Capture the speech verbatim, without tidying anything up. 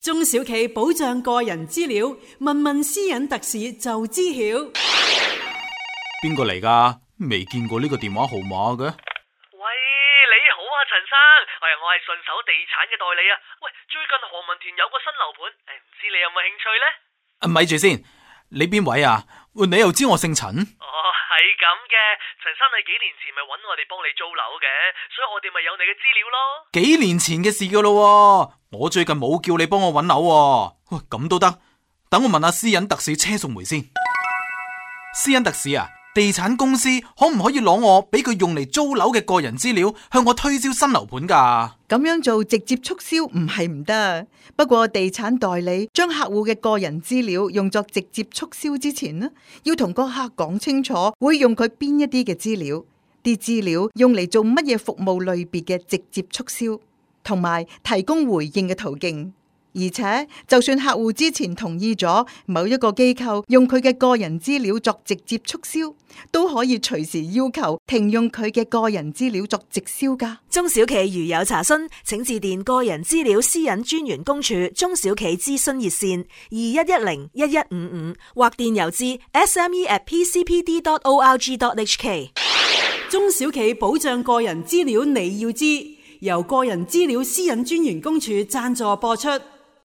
中小企保障個人資料，問問私隱特使就知曉。邊個嚟㗎？未見過呢個電話號碼嘅。喂，你好啊，陳生，我係我係順手地產嘅代理啊。喂，最近何文田有個新樓盤，誒，唔知你有冇興趣呢？啊，咪住先，你邊位啊？你又知我姓陳？哦，係咁嘅，陳生你幾年前咪揾我哋幫你租樓嘅，所以我哋咪有你嘅資料咯。幾年前嘅事噶咯，我最近冇叫你幫我揾樓喎。喂，咁都得？等我問下私隱特使車淑梅先。私隱特使啊，地產公司可唔可以攞我俾佢用嚟租樓嘅個人資料向我推銷新樓盤噶？咁樣做直接促銷唔係唔得，不過地產代理將客戶嘅個人資料用作直接促銷之前呢，要同個客講清楚會用佢邊一啲嘅資料，啲資料用嚟做乜嘢服務類別嘅直接促銷，同埋提供回應嘅途徑。而且就算客戶之前同意咗某一個機構用佢嘅個人資料作直接促銷，都可以隨時要求停用佢嘅個人資料作直銷㗎。中小企如有查詢，請致電個人資料私隱專員公署中小企諮詢熱線二一一零一一五五，或電郵至 s m e at p c p d dot org dot h k。 中小企保障個人資料你要知，由個人資料私隱專員公署贊助播出。